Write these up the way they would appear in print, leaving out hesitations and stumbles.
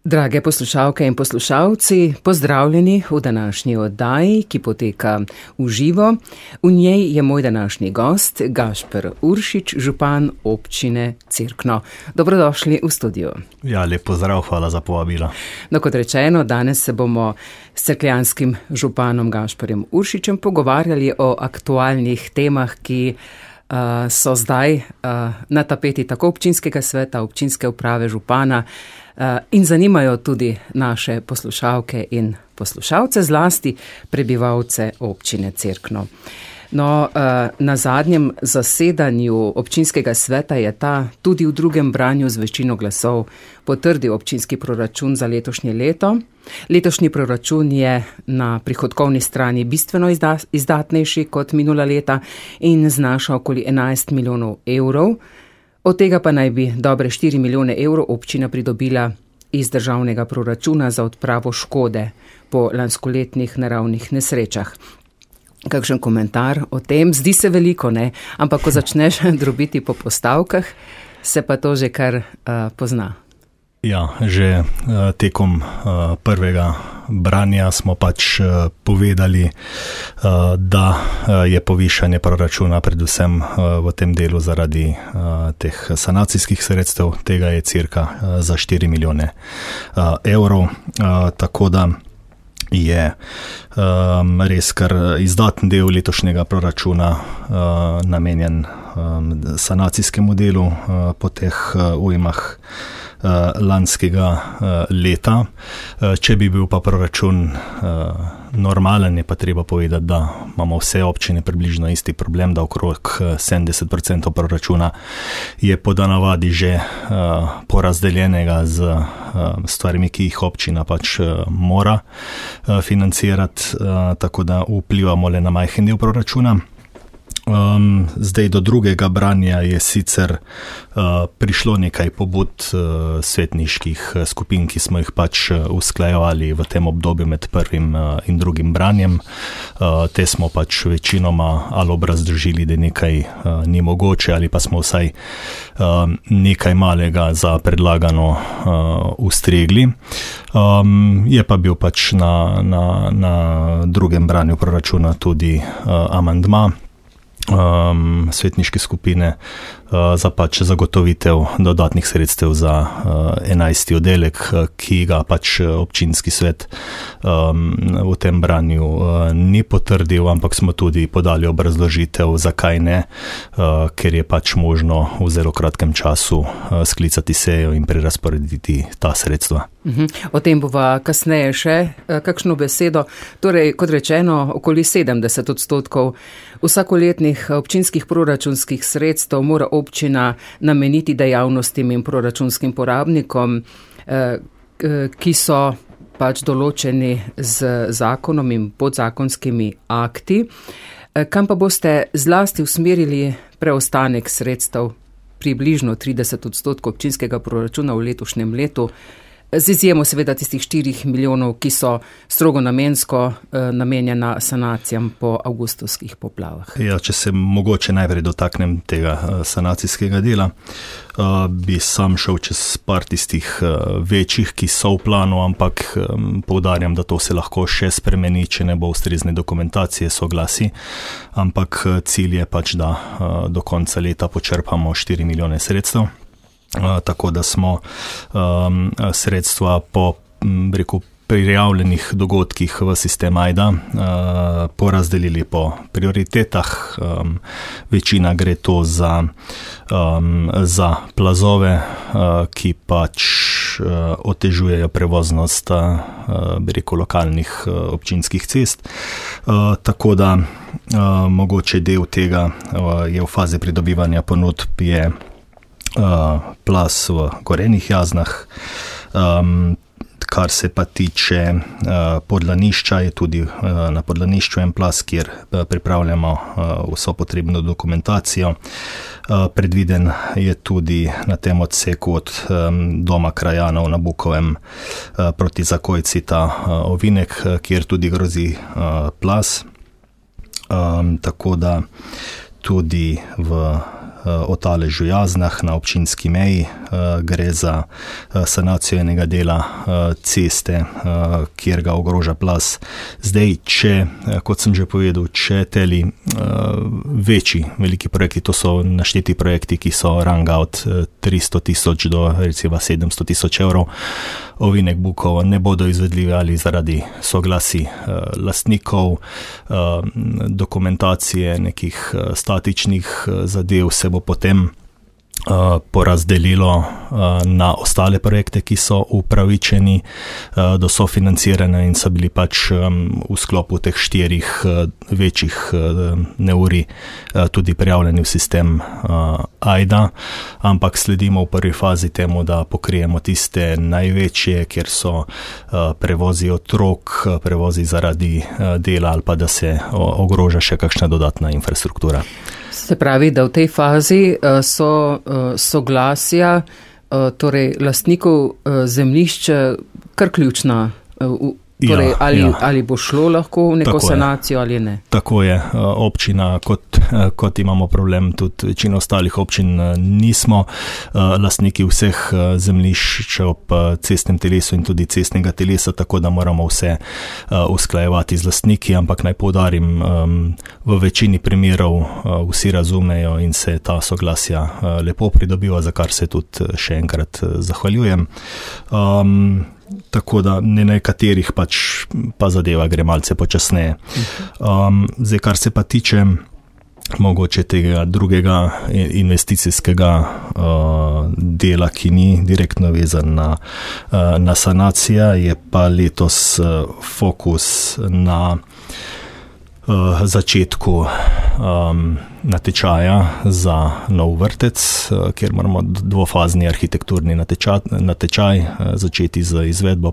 Drage poslušalke in poslušalci, pozdravljeni v današnji oddaji, ki poteka v živo. V njej je moj današnji gost, Gašper Uršič, župan občine Cerkno. Dobrodošli v studiu. Ja, lep pozdrav, hvala za povabilo. No, kot rečeno, danes se bomo s cerkljanskim županom Gašperjem Uršičem pogovarjali o aktualnih temah, ki so zdaj na tapeti tako občinskega sveta, občinske uprave, župana, in zanimajo tudi naše poslušalke in poslušalce, zlasti prebivalce občine Cerkno. No, na zadnjem zasedanju občinskega sveta je ta tudi v drugem branju z večino glasov potrdil občinski proračun za letošnje leto. Letošnji proračun je na prihodkovni strani bistveno izdatnejši kot minula leta in znaša okoli 11 milijonov evrov. Od tega pa naj bi dobre 4 milijone evrov občina pridobila iz državnega proračuna za odpravo škode po lanskoletnih naravnih nesrečah. Kakšen komentar o tem? Zdi se veliko, ne? Ampak ko začneš drobiti po postavkah, se pa to že kar pozna. Ja, že tekom prvega branja smo pač povedali, da je povišanje proračuna predvsem v tem delu zaradi teh sanacijskih sredstev, tega je cirka za 4 milijone evrov, tako da je res kar izdaten del letošnjega proračuna namenjen sanacijskemu delu po teh ujmah lanskega leta. Če bi bil pa proračun normalen, je pa treba povedati, da imamo vse občine približno isti problem, da okrog 70% proračuna je po navadi že porazdeljenega z stvarmi, ki jih občina pač mora financirati, tako da vplivamo le na majhen del proračuna. Zdaj do drugega branja je sicer prišlo nekaj pobud svetniških skupin, ki smo jih pač usklajevali v tem obdobju med prvim in drugim branjem. Te smo pač večinoma ali obrazložili, da nekaj ni mogoče, ali pa smo vsaj nekaj malega za predlagano ustregli. Je pa bil pač na drugem branju proračuna tudi amandma svetniške skupine za pač zagotovitev dodatnih sredstev za 11. oddelek, ki ga pač občinski svet v tem branju ni potrdil, ampak smo tudi podali obrazložitev, zakaj ne, ker je pač možno v zelo kratkem času sklicati sejo in prerazporediti ta sredstva. O tem bova kasneje še kakšno besedo. Torej, kot rečeno, okoli 70% vsakoletnih občinskih proračunskih sredstev mora občina nameniti dejavnostim in proračunskim porabnikom, ki so pač določeni z zakonom in podzakonskimi akti. Kam pa boste zlasti usmerili preostanek sredstev, približno 30% občinskega proračuna v letošnjem letu, z izjemo seveda tistih 4 milijonov, ki so strogo namensko namenjena sanacijam po avgustovskih poplavah. Ja, če se mogoče najprej dotaknem tega sanacijskega dela, bi sam šel čez par tistih večjih, ki so v planu, ampak poudarjam, da to se lahko še spremeni, če ne bo ustrezne dokumentacije, soglasi, ampak cilj je pač, da do konca leta počrpamo 4 milijone sredstev. Tako da smo sredstva po prijavljenih dogodkih v sistem AJDA porazdelili po prioritetah. Večina gre to za plazove, ki pač otežujejo prevoznost lokalnih občinskih cest. Tako da mogoče del tega je v fazi pridobivanja ponudb, je plaz v Gorenjih Jaznah. Kar se pa tiče Podlanišča, je tudi na Podlanišču en plaz, kjer pripravljamo vso potrebno dokumentacijo. Predviden je tudi na tem odseku od doma krajanov na Bukovem proti Zakojci ta ovinek, kjer tudi grozi plaz. Tako da tudi v Otaležu Jaznah na občinski meji. Gre za sanacijo enega dela ceste, kjer ga ogroža plaz. Zdaj, kot sem že povedal, če teli veliki projekti, to so našteti projekti, ki so ranga od 300,000 do recimo 700,000 evrov, ovinek bukov ne bodo izvedljivi ali zaradi soglasi lastnikov, dokumentacije nekih statičnih zadev se bo potem porazdelilo na ostale projekte, ki so upravičeni do sofinanciranja in so bili pač v sklopu teh 4 večjih neurij tudi prijavljeni v sistem AIDA, ampak sledimo v prvi fazi temu, da pokrijemo tiste največje, kjer so prevozi otrok, prevozi zaradi dela ali pa da se ogroža še kakšna dodatna infrastruktura. Se pravi, da v tej fazi so soglasja, torej lastnikov zemljišča kar ključna, torej ali bo šlo lahko v neko sanacijo ali ne. Tako je, občina, kot imamo problem, tudi večina ostalih občin nismo lastniki vseh zemljišč ob cestnem telesu in tudi cestnega telesa, tako da moramo vse usklajevati z lastniki, ampak naj poudarim, v večini primerov vsi razumejo in se ta soglasja lepo pridobiva, za kar se tudi še enkrat zahvaljujem. Tako da nekaterih pa zadeva gre malce počasneje. Zdaj, kar se pa tiče mogoče tega drugega investicijskega dela, ki ni direktno vezan na sanacijo, je pa letos fokus na začetku natečaja za nov vrtec, kjer moramo dvofazni arhitekturni natečaj začeti z izvedbo,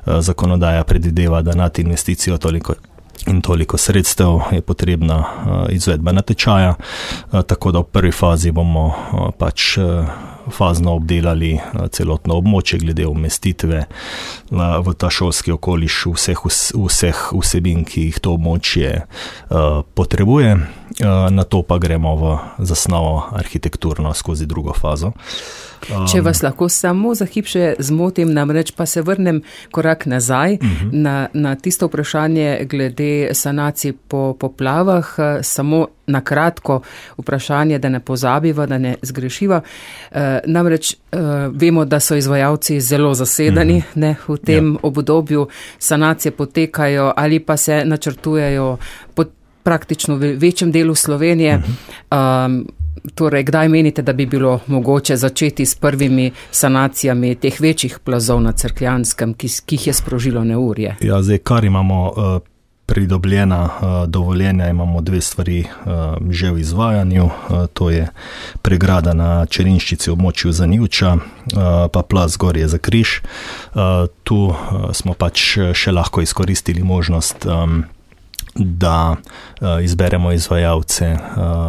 zakonodaja predvideva, da nad investicijo toliko sredstev je potrebna izvedba natečaja, tako da v prvi fazi bomo fazno obdelali celotno območje glede umestitve v ta šolski okoliš vseh vsebin, ki jih to območje potrebuje. Na to pa gremo v zasnovo arhitekturno skozi drugo fazo. Če vas lahko samo za hip še zmotim, namreč pa se vrnem korak nazaj na tisto vprašanje glede sanacij po poplavah, samo na kratko vprašanje, da ne pozabiva, da ne zgrešiva. Namreč vemo, da so izvajalci zelo zasedeni v tem obdobju, sanacije potekajo ali pa se načrtujejo praktično v večjem delu Slovenije. Torej, kdaj menite, da bi bilo mogoče začeti s prvimi sanacijami teh večjih plazov na Cerkljanskem, ki jih je sprožilo neurje? Ja, zdaj, kar imamo pridobljena dovoljenja, imamo 2 stvari že v izvajanju, to je pregrada na Čerinščici v območju Zanivča, pa plaz Gorje za Križ. Tu smo še lahko izkoristili možnost, da izberemo izvajalce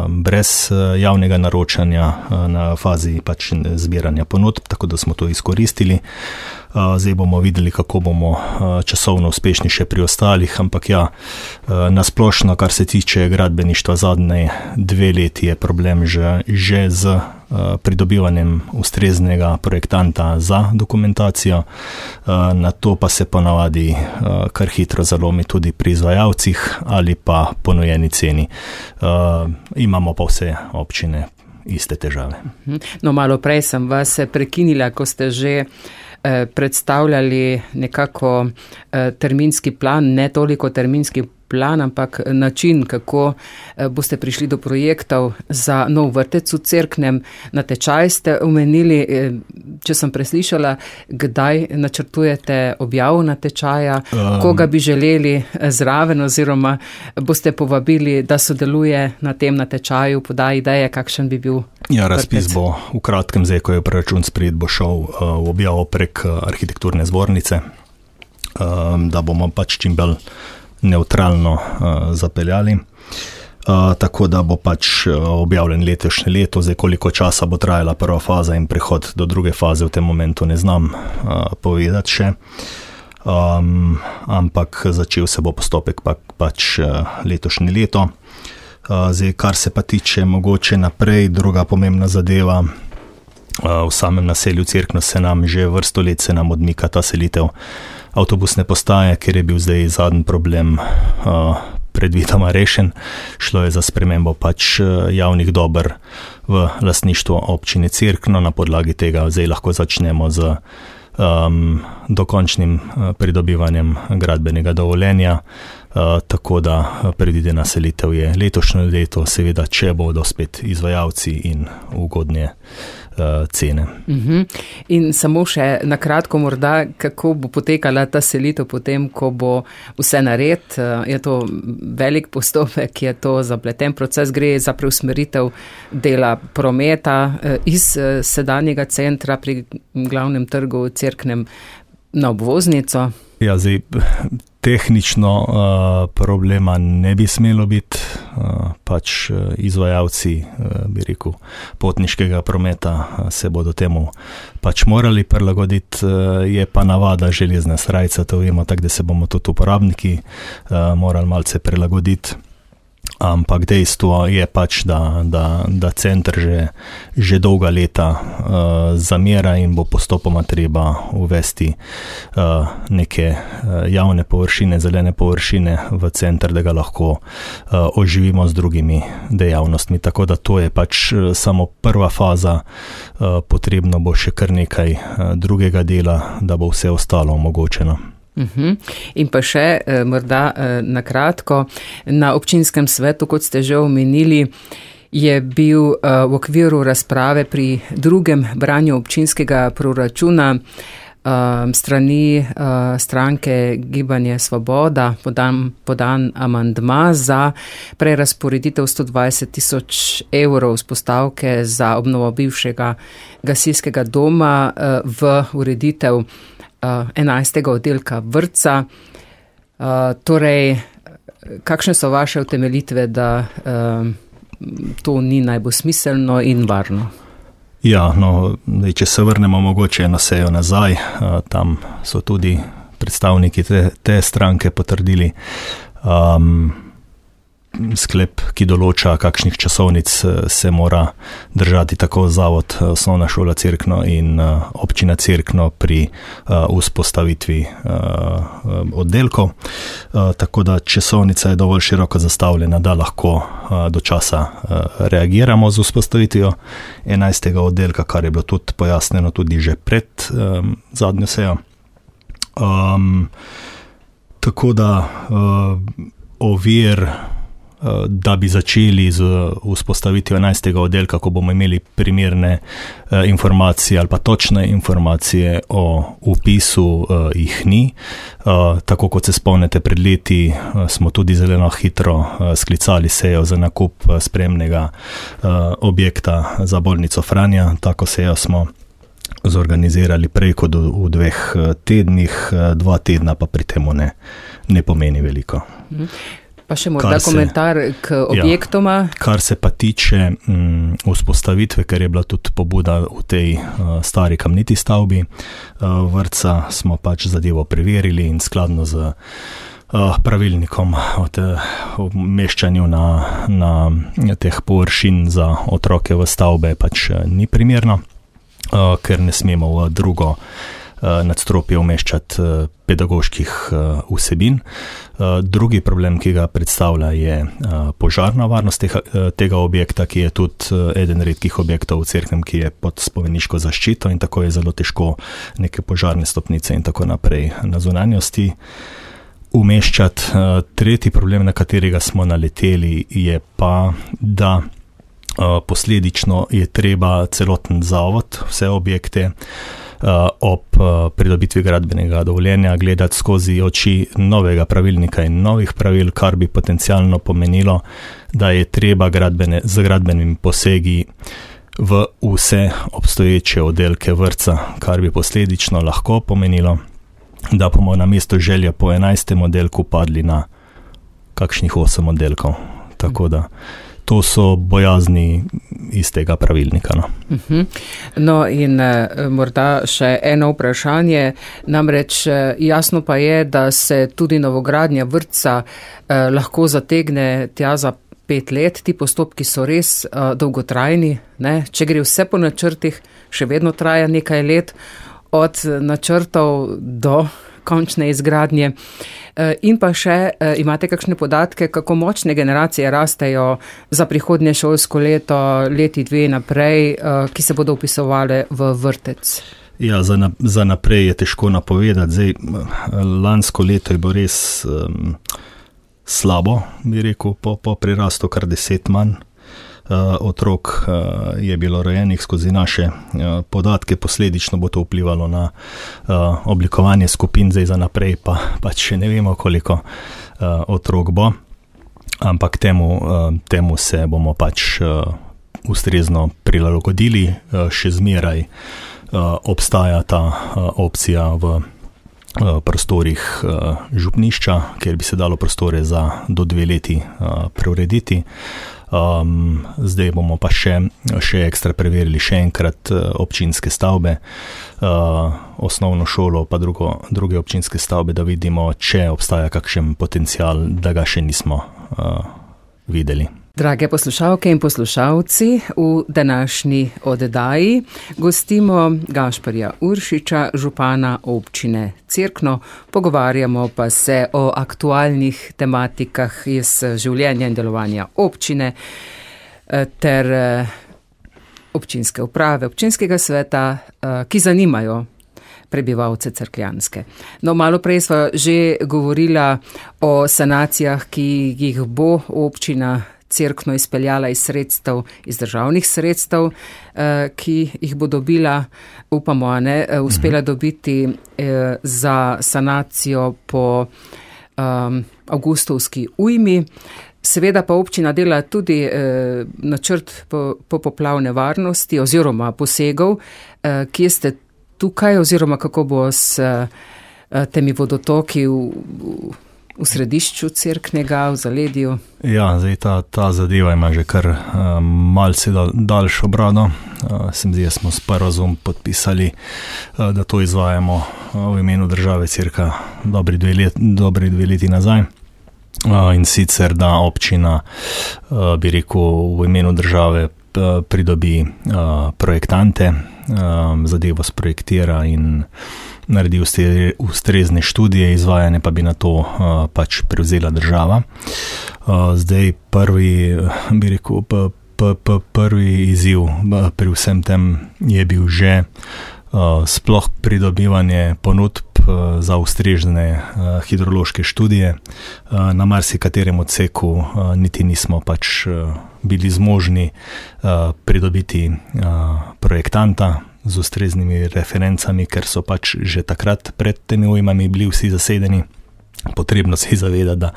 brez javnega naročanja na fazi zbiranja ponudb, tako da smo to izkoristili. Zdaj bomo videli, kako bomo časovno uspešni še pri ostalih, ampak nasplošno, kar se tiče gradbeništva, zadnje 2 leti je problem že z pridobivanjem ustreznega projektanta za dokumentacijo, na to pa se ponavadi kar hitro zalomi tudi pri izvajalcih ali pa ponujeni ceni. Imamo pa vse občine iste težave. No, malo prej sem vas prekinila, ko ste že predstavljali nekako terminski plan, ne toliko terminski plan, ampak način, kako boste prišli do projektov za nov vrtec v Cerknem. Natečaj ste omenili, če sem preslišala, kdaj načrtujete objavo natečaja, koga bi želeli zraven oziroma boste povabili, da sodeluje na tem natečaju, poda ideje, kakšen bi bil razpis vrtec. Bo v kratkem, zdaj, ko je proračun sprejet, bo šel v objavo prek arhitekturne zbornice, da bomo čim bolj neutralno zapeljali. Tako da bo objavljen letošnje leto. Zdaj, koliko časa bo trajala prva faza in prehod do druge faze, v tem momentu ne znam povedati še. Ampak začel se bo postopek letošnje leto. Zdaj, kar se pa tiče mogoče naprej, druga pomembna zadeva, v samem naselju Cerkno se nam že vrsto let odmika ta selitev avtobusne postaje, ker je bil zdaj zadnji problem predvidoma rešen. Šlo je za spremembo pač javnih dober v lastništvo občine Cerkno, na podlagi tega zdaj lahko začnemo z dokončnim pridobivanjem gradbenega dovoljenja, tako da predvidena selitev je letošnje leto, seveda, če bodo spet izvajalci in ugodne cene. In samo še na kratko morda, kako bo potekala ta selitev potem, ko bo vse nared? Je to velik postopek, je to zapleten proces, gre za preusmeritev dela prometa iz sedanjega centra pri glavnem trgu Cerknem na obvoznico? Ja, zdaj, tehnično problema ne bi smelo biti, pač izvajalci, bi rekel, potniškega prometa se bodo temu pač morali prilagoditi, je pa navada železne srajce, to vemo, tako da se bomo tudi uporabniki morali malce prilagoditi. Ampak dejstvo je pač, da center že dolga leta zamera in bo postopoma treba uvesti neke javne površine, zelene površine v center, da ga lahko oživimo z drugimi dejavnostmi. Tako da to je pač samo prva faza, potrebno bo še kar nekaj drugega dela, da bo vse ostalo omogočeno. In pa še morda na kratko, na občinskem svetu, kot ste že omenili, je bil v okviru razprave pri drugem branju občinskega proračuna strani stranke Gibanje Svoboda podan amandma za prerazporeditev 120 000 evrov z postavke za obnovo bivšega gasilskega doma v ureditev 11. oddelka vrtca. Torej, kakšne so vaše utemeljitve, da to ni najbolj smiselno in varno? Ja, no, če se vrnemo mogoče na sejo nazaj, tam so tudi predstavniki te stranke potrdili sklep, ki določa, kakšnih časovnic se mora držati tako Zavod Osnovna šola Cerkno in občina Cerkno pri vzpostavitvi oddelkov. Tako da časovnica je dovolj široko zastavljena, da lahko do časa reagiramo z vzpostavitvijo 11. oddelka, kar je bilo tudi pojasnjeno tudi že pred zadnjo sejo. Tako da ovir, da bi začeli z vzpostavitvijo 11. oddelka, ko bomo imeli primerne informacije ali pa točne informacije o vpisu, jih ni. Tako kot se spomnite, pred leti smo tudi zelo hitro sklicali sejo za nakup spremnega objekta za bolnico Franja. Tako sejo smo zorganizirali prej kot v 2 tednih, 2 tedna pa pri temu ne pomeni veliko. Pa še morda komentar k objektoma. Ja, kar se pa tiče vzpostavitve, ker je bila tudi pobuda v tej stari kamniti stavbi vrtca, smo pač zadevo preverili in skladno z pravilnikom o umeščanju na teh površin za otroke v stavbe pač ni primerno, ker ne smemo v drugo nadstropje umeščati pedagoških vsebin. Drugi problem, ki ga predstavlja, je požarna varnost tega objekta, ki je tudi eden redkih objektov v Cerknem, ki je pod spomeniško zaščito in tako je zelo težko neke požarne stopnice in tako naprej na zunanjosti umeščati. Tretji problem, na katerega smo naleteli, je pa, da posledično je treba celoten zavod, vse objekte ob pridobitvi gradbenega dovoljenja gledati skozi oči novega pravilnika in novih pravil, kar bi potencialno pomenilo, da je treba z gradbenimi posegi v vse obstoječe oddelke vrtca, kar bi posledično lahko pomenilo, da bomo na mesto želje po 11. oddelku padli na kakšnih 8 oddelkov. Tako da to so bojazni iz tega pravilnika. No in morda še eno vprašanje, namreč jasno pa je, da se tudi novogradnja vrtca lahko zategne tja za 5 let. Ti postopki so res dolgotrajni, ne? Če gre vse po načrtih, še vedno traja nekaj let, od načrtov do končne izgradnje. In pa še, imate kakšne podatke, kako močne generacije rastejo za prihodnje šolsko leto, leti 2 naprej, ki se bodo vpisovali v vrtec? Ja, za naprej je težko napovedati. Zdaj, lansko leto je bilo res slabo, bi rekel, po prirastu kar 10 manj. Otrok je bilo rojenih skozi naše podatke, posledično bo to vplivalo na oblikovanje skupin, zdaj za naprej pa še ne vemo, koliko otrok bo, ampak temu se bomo pač ustrezno prilagodili. Še zmeraj obstaja ta opcija v prostorih župnišča, kjer bi se dalo prostore za do 2 leti preurediti. Zdaj bomo pa še ekstra preverili še enkrat občinske stavbe, osnovno šolo pa druge občinske stavbe, da vidimo, če obstaja kakšen potencial, da ga še nismo videli. Drage poslušalke in poslušalci, v današnji oddaji gostimo Gašparja Uršiča, župana občine Cerkno. Pogovarjamo pa se o aktualnih tematikah iz življenja in delovanja občine ter občinske uprave, občinskega sveta, ki zanimajo prebivalce Cerkljanske. No, malo prej sva že govorila o sanacijah, ki jih bo občina Cerkno izpeljala iz državnih sredstev, ki jih bo dobila, upamo, uspela dobiti za sanacijo po avgustovski ujmi. Seveda pa občina dela tudi načrt po poplavne varnosti oziroma posegov. Kje ste tukaj oziroma kako bo s temi vodotoki v središču Cerknega, v zaledju? Ja, zdaj ta zadeva ima že kar malce daljšo brado. Se mi zdi, smo sporazum podpisali, da to izvajamo v imenu države cirka dobri 2 leti nazaj. In sicer, da občina, bi rekel, v imenu države pridobi projektante, zadevo sprojektira in naredi ustrezne študije, izvajanje pa bi na to pač prevzela država. Zdaj prvi izziv pri vsem tem je bil že sploh pridobivanje ponudb za ustrezne hidrološke študije. Na marsikaterem odseku niti nismo pač bili zmožni pridobiti projektanta z ustreznimi referencami, ker so pač že takrat pred temi ujmami bili vsi zasedeni. Potrebno se je zavedati, da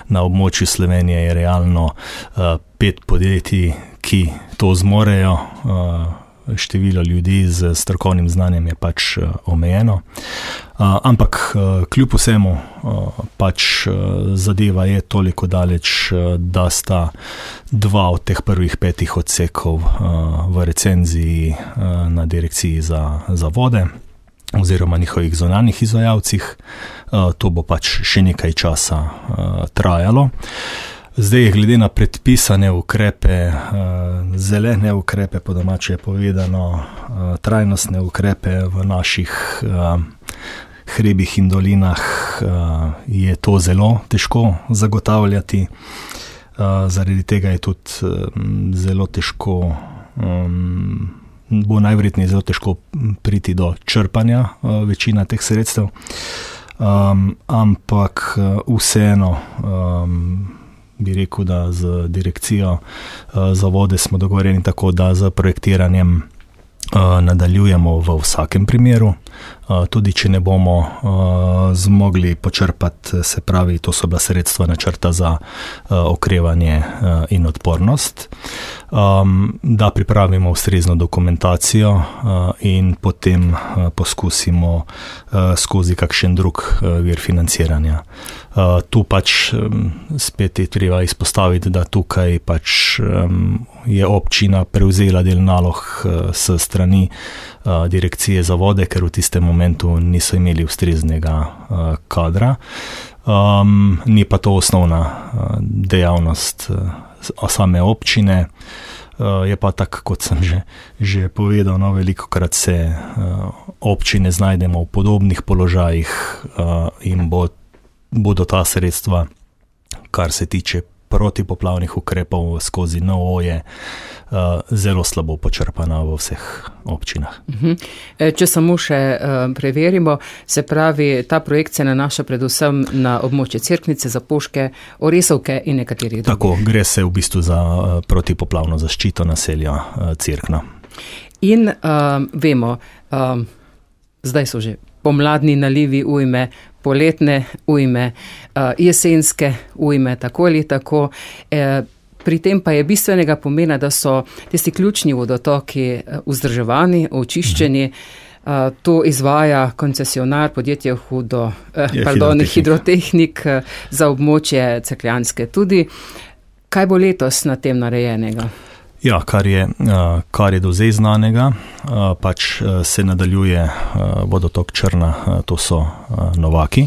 na območju Slovenije je realno 5 podjetij, ki to zmorejo. Število ljudi z strokovnim znanjem je pač omejeno. Ampak kljub vsemu pač zadeva je toliko daleč, da sta 2 od teh prvih 5 odsekov v recenziji na direkciji za vode oziroma njihovih zunanjih izvajalcih. To bo pač še nekaj časa trajalo. Zdaj, glede na predpisane ukrepe, zelene ukrepe, po domače povedano, trajnostne ukrepe v naših hribih in dolinah, je to zelo težko zagotavljati. Zaradi tega je tudi zelo težko, bo najverjetneje zelo težko priti do črpanja večina teh sredstev. Ampak vseeno, bi rekel, da z direkcijo za vode smo dogovorjeni tako, da z projektiranjem nadaljujemo v vsakem primeru, tudi če ne bomo zmogli počrpati, se pravi, to so bila sredstva načrta za okrevanje in odpornost, da pripravimo ustrezno dokumentacijo in potem poskusimo skozi kakšen drug vir financiranja. Tu pač spet je treba izpostaviti, da tukaj pač je občina prevzela del nalog s strani direkcije za vode, ker v tistem momentu niso imeli ustreznega kadra. Ni pa to osnovna dejavnost same občine. Je pa tako, kot sem že povedal, velikokrat se občine znajdemo v podobnih položajih in bodo ta sredstva, kar se tiče protipoplavnih ukrepov skozi NOO-je, zelo slabo počrpana v vseh občinah. Če samo še preverimo, se pravi, ta projekt se nanaša predvsem na območje Cerknice, Zapoške, Oresovke in nekaterih drugih. Tako, gre se v bistvu za protipoplavno zaščito naselja Cerkna. In vemo, zdaj so že pomladni nalivi ujme, poletne ujme, jesenske ujme, tako ali tako. Pri tem pa je bistvenega pomena, da so tisti ključni vodotoki vzdrževani, očiščeni. To izvaja koncesionar podjetje Hidrotehnik za območje Cerkljanske tudi. Kaj bo letos na tem narejenega? Ja, kar je do zdaj znanega, pač se nadaljuje vodotok Črna, to so Novaki.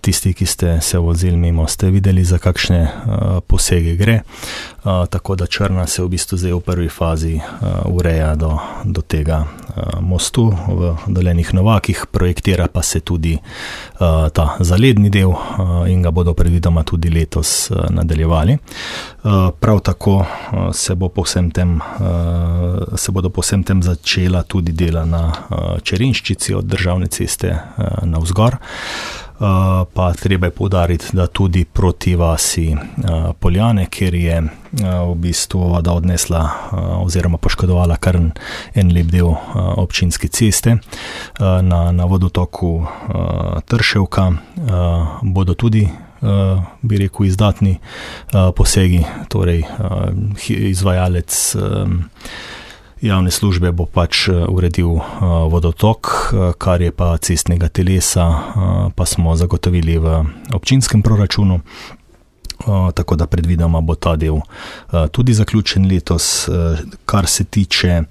Tisti, ki ste se vozili mimo, ste videli, za kakšne posege gre. Tako da Črna se v bistvu zdaj v prvi fazi ureja do tega mostu v Dolenih Novakih, projektira pa se tudi ta zaledni del in ga bodo predvidoma tudi letos nadaljevali. Prav tako se bodo po vsem tem začela tudi dela na Čerinščici od državne ceste navzgor. Pa treba je poudariti, da tudi proti vasi Poljane, kjer je v bistvu voda odnesla oziroma poškodovala kar en lep del občinske ceste na vodotoku Trševka, bodo tudi, bi rekel, izdatni posegi, torej izvajalec javne službe bo pač uredil vodotok, kar je pa cestnega telesa, pa smo zagotovili v občinskem proračunu, tako da predvidoma bo ta del tudi zaključen letos. Kar se tiče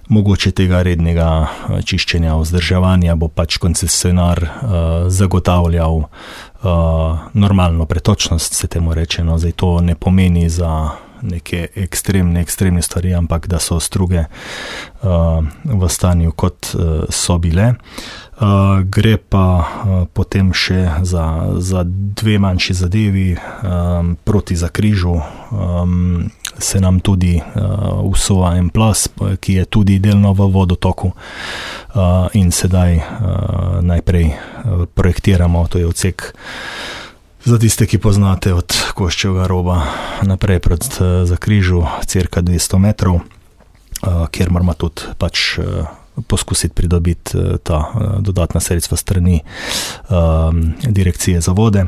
mogoče tega rednega čiščenja, vzdrževanja, bo pač koncesionar zagotavljal normalno pretočnost, se temu reče. No, zdaj to ne pomeni za neke ekstremne stvari, ampak da so struge v stanju, kot so bile. Gre pa potem še za dve manjši zadevi. Proti Zakrižu se nam tudi vsova en plas, ki je tudi delno v vodotoku, in sedaj najprej projektiramo, to je odsek, za tiste, ki poznate, od Koščevega roba naprej proti Zakrižu, cirka 200 metrov, kjer moramo tudi pač poskusiti pridobiti ta dodatna sredstva strani direkcije za vode.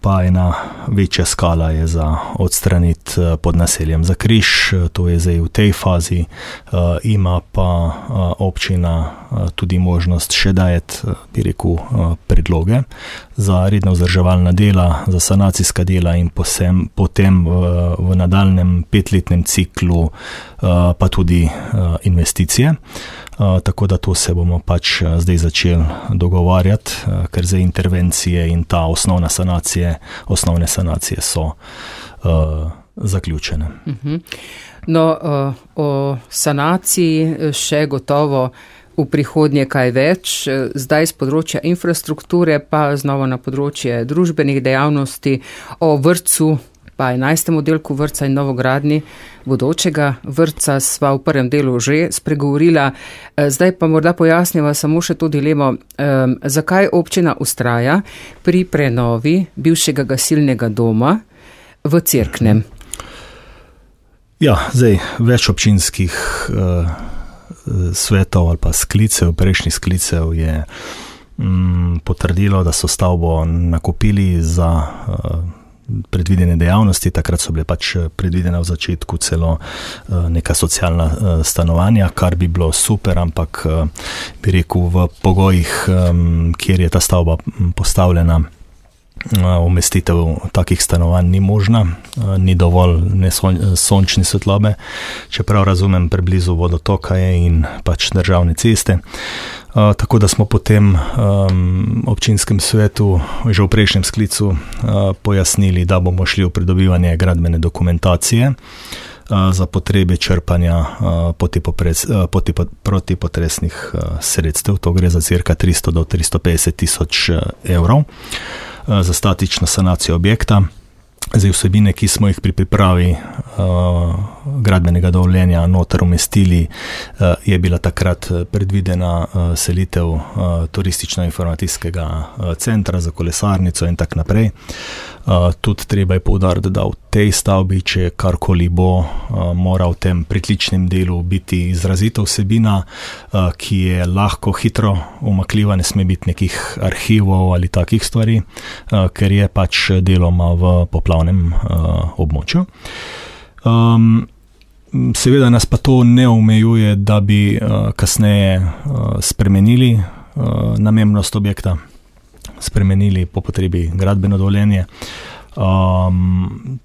Pa ena večja skala je za odstraniti pod naseljem Zakriž, to je zdaj v tej fazi. Ima pa občina tudi možnost še dajeti, bi rekel, predloge za redna vzdrževalna dela, za sanacijska dela in potem v nadaljnjem 5-letnem ciklu pa tudi investicije. Tako da to se bomo pač zdaj začeli dogovarjati, ker za intervencije in ta osnovne sanacije so zaključene. No, o sanaciji še gotovo v prihodnje kaj več, zdaj z področja infrastrukture, pa znova na področje družbenih dejavnosti, o vrtcu, pa 11. oddelku vrtca in novogradnji bodočega vrtca sva v prvem delu že spregovorila. Zdaj pa morda pojasniva samo še to dilemo, zakaj občina ustraja pri prenovi bivšega gasilnega doma v Cerknem. Ja, zdaj več občinskih svetov ali pa prejšnjih sklicev je potrdilo, da so stavbo nakupili za predvidene dejavnosti. Takrat so bile pač predvidene v začetku celo neka socialna stanovanja, kar bi bilo super, ampak bi rekel v pogojih, kjer je ta stavba postavljena, umestitev takih stanovanj ni možna, ni dovolj sončne svetlobe, čeprav razumem, preblizu vodotoka je in pač državne ceste. Tako da smo potem občinskem svetu že v prejšnjem sklicu pojasnili, da bomo šli v pridobivanje gradbene dokumentacije za potrebe črpanja protipotresnih sredstev. To gre za cirka 300 do 350 tisoč evrov za statično sanacijo objekta. Zdaj vsebine, ki smo jih pri pripravi gradbenega dovoljenja noter umestili, je bila takrat predvidena selitev turistično-informacijskega centra za kolesarnico in tak naprej. Tudi treba je poudariti, da v tej stavbi, če karkoli bo, mora v tem pritličnem delu biti izrazita vsebina, ki je lahko hitro umakljiva, ne sme biti nekih arhivov ali takih stvari, ker je pač deloma v poplavnem območju. Seveda nas pa to ne omejuje, da bi kasneje spremenili namembnost objekta, spremenili po potrebi gradbeno dovoljenje.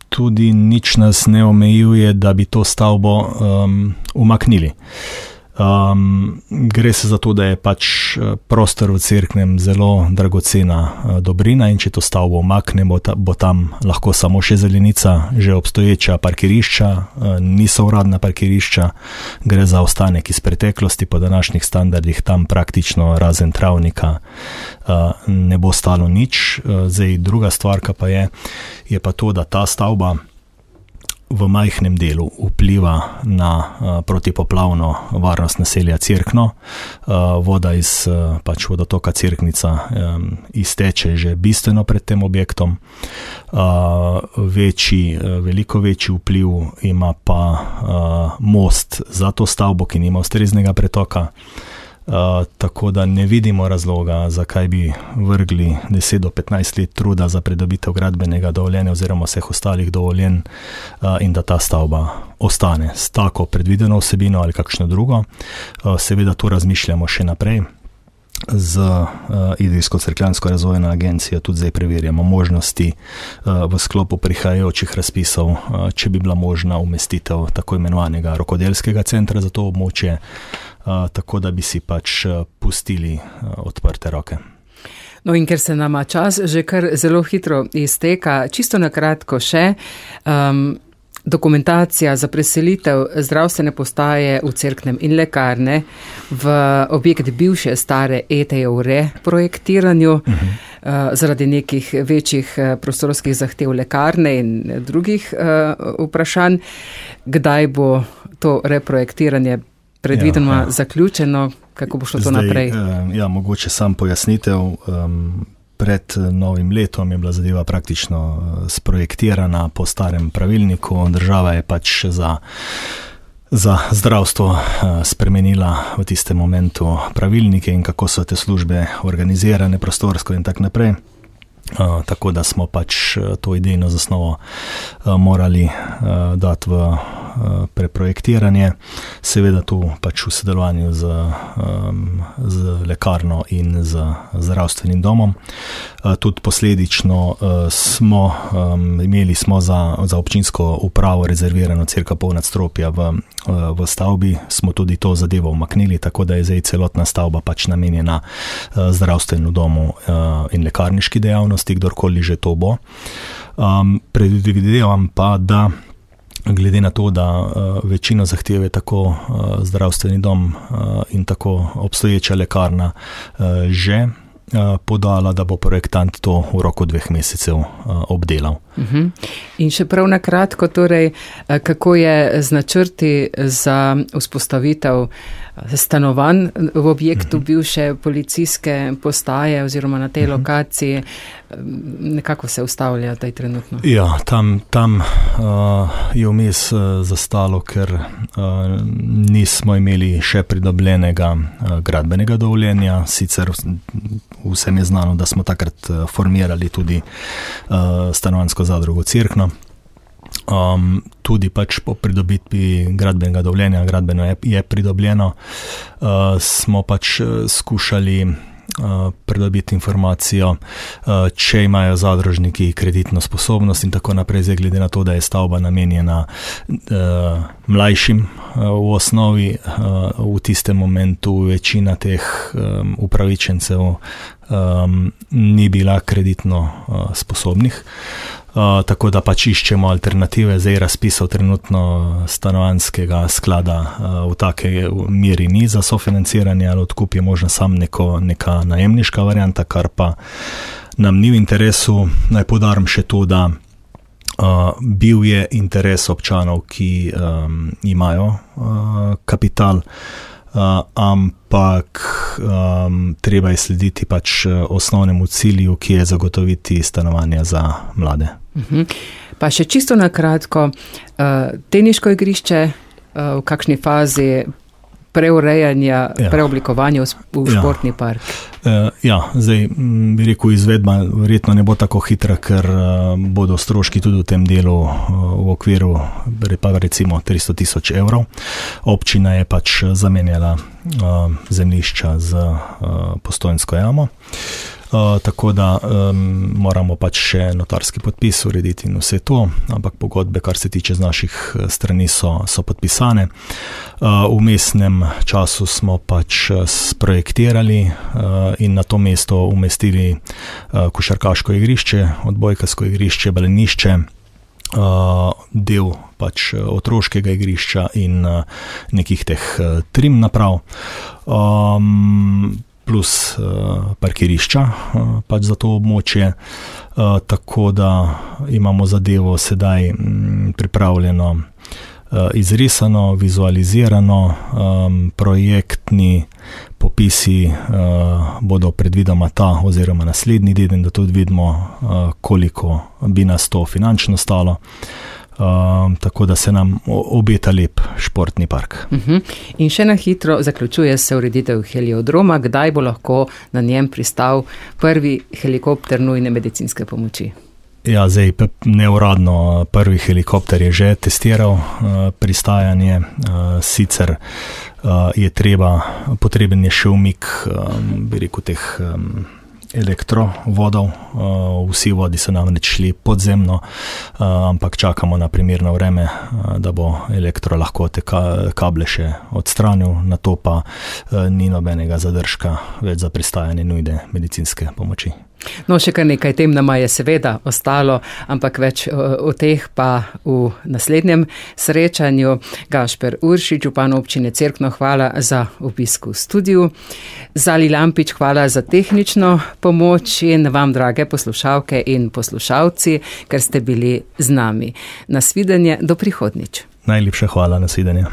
Tudi nič nas ne omejuje, da bi to stavbo umaknili. Gre se za to, da je pač prostor v Cerknem zelo dragocena dobrina in če to stavbo umaknemo, bo tam lahko samo še zelenica, že obstoječa parkirišča, niso uradna parkirišča, gre za ostanek iz preteklosti, po današnjih standardih tam praktično razen travnika ne bo stalo nič. Zdaj druga stvarka pa je pa to, da ta stavba v majhnem delu vpliva na protipoplavno varnost naselja Cerkno. Voda iz pač vodotoka Cerknica izteče že bistveno pred tem objektom. Veliko večji vpliv ima pa most za to stavbo, ki nima ustreznega pretoka. Tako da ne vidimo razloga, zakaj bi vrgli 10 do 15 let truda za pridobitev gradbenega dovoljenja oziroma vseh ostalih dovoljenj in da ta stavba ostane s tako predvideno vsebino ali kakšno drugo. Seveda tu razmišljamo še naprej. Z Idrijsko-Cerkljansko razvojno agencijo tudi zdaj preverjamo možnosti v sklopu prihajajočih razpisov, če bi bila možna umestitev tako imenovanega rokodelskega centra za to območje, tako da bi si pač pustili odprte roke. No in ker se nama čas že kar zelo hitro izteka, čisto na kratko še, dokumentacija za preselitev zdravstvene postaje v Cerknem in lekarne v objekt bivše stare ETE v reprojektiranju zaradi nekih večjih prostorskih zahtev lekarne in drugih vprašanj. Kdaj bo to reprojektiranje predvideno zaključeno? Kako bo šlo to naprej? Mogoče sam pojasnitev. Pred novim letom je bila zadeva praktično sprojektirana po starem pravilniku. Država je pač za zdravstvo spremenila v tistem momentu pravilnike in kako so te službe organizirane prostorsko in tak naprej. Tako da smo pač to idejno zasnovo morali dati v preprojektiranje, seveda tu pač v sodelovanju z lekarno in z zdravstvenim domom. Tudi posledično smo imeli za občinsko upravo rezervirano cirka pol nadstropja v stavbi, smo tudi to zadevo umaknili, tako da je zdaj celotna stavba pač namenjena zdravstvenemu domu in lekarniški dejavnosti, kdorkoli že to bo. Predvidevam pa, da glede na to, da večino zahteve tako zdravstveni dom in tako obstoječa lekarna že podala, da bo projektant to v roku 2 mesecev obdelal. In še prav na kratko, torej, kako je z načrti za vzpostavitev stanovanj v objektu bivše policijske postaje oziroma na tej lokaciji, nekako se ustavlja taj trenutno? Ja, tam je vmes zastalo, ker nismo imeli še pridobljenega gradbenega dovoljenja, sicer vsem je znano, da smo takrat formirali tudi stanovanjsko zadrugo Cerkno. Tudi pač po pridobitvi gradbenega dovoljenja, gradbeno je pridobljeno, smo pač skušali pridobiti informacijo, če imajo zadružniki kreditno sposobnost in tako naprej, zdaj glede na to, da je stavba namenjena mlajšim v osnovi, v tistem momentu večina teh upravičencev ni bila kreditno sposobnih. Tako da pač iščemo alternative, zdaj razpisov trenutno stanovanjskega sklada v take meri ni za sofinanciranje, ali odkup je možno sam neka najemniška varianta, kar pa nam ni v interesu. Naj poudarim še to, da bil je interes občanov, ki imajo kapital, ampak treba je slediti pač osnovnemu cilju, ki je zagotoviti stanovanja za mlade. Pa še čisto na kratko, teniško igrišče v kakšni fazi preurejanja, preoblikovanja v športni park? Zdaj bi rekel, izvedba verjetno ne bo tako hitra, ker bodo stroški tudi v tem delu v okviru recimo 300,000 evrov. Občina je pač zamenjala zemljišča z Postojnsko jamo. Tako da moramo pač še notarski podpis urediti in vse to, ampak pogodbe, kar se tiče z naših strani, so podpisane. V mestnem času smo pač sprojektirali in na to mesto umestili košarkaško igrišče, odbojkarsko igrišče, balenišče, del pač otroškega igrišča in nekih teh trim naprav. Plus parkirišča pač za to območje, tako da imamo zadevo sedaj pripravljeno, izrisano, vizualizirano, projektni popisi bodo predvidoma ta oziroma naslednji teden, da tudi vidimo, koliko bi nas to finančno stalo. Tako da se nam obeta lep športni park. In še na hitro zaključuje se ureditev heliodroma. Kdaj bo lahko na njem pristal prvi helikopter nujne medicinske pomoči? Zdaj neuradno prvi helikopter je že testiral pristajanje, sicer je potreben je še umik, bi rekel, teh elektrovodov. Vsi vodi so namreč šli podzemno, ampak čakamo na primerno vreme, da bo elektro lahko te kable še odstranil, na to pa ni nobenega zadržka več za pristajanje nujne medicinske pomoči. No, še kar nekaj tem nama je seveda ostalo, ampak več o teh pa v naslednjem srečanju. Gašper Uršič, župan občine Cerkno, hvala za obisk v studiu. Zali Lampič, hvala za tehnično pomoč in vam, drage poslušalke in poslušalci, ker ste bili z nami. Nasvidenje, do prihodnjič. Najlepša hvala, nasvidenje.